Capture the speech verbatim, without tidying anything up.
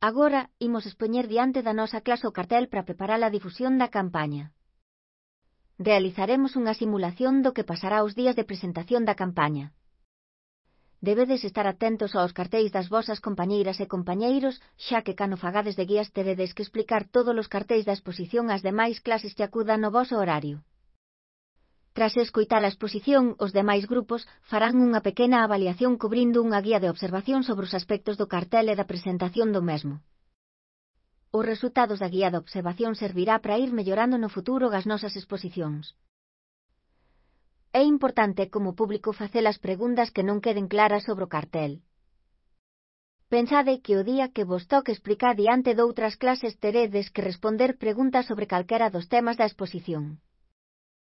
Agora, imos expoñer diante da nosa clase o cartel para preparar a difusión da campaña. Realizaremos unha simulación do que pasará os días de presentación da campaña. Debedes estar atentos aos cartéis das vosas compañeiras e compañeiros, xa que cando fagades de guías teredes que explicar todos os cartéis da exposición ás demais clases que acudan no voso horario. Tras escoitar a exposición, os demais grupos farán unha pequena avaliación cubrindo unha guía de observación sobre os aspectos do cartel e da presentación do mesmo. Os resultados da guía de observación servirá para ir mellorando no futuro as nosas exposicións. É importante como público facer as preguntas que non queden claras sobre o cartel. Pensade que o día que vos toque explicar diante doutras clases teredes que responder preguntas sobre calquera dos temas da exposición.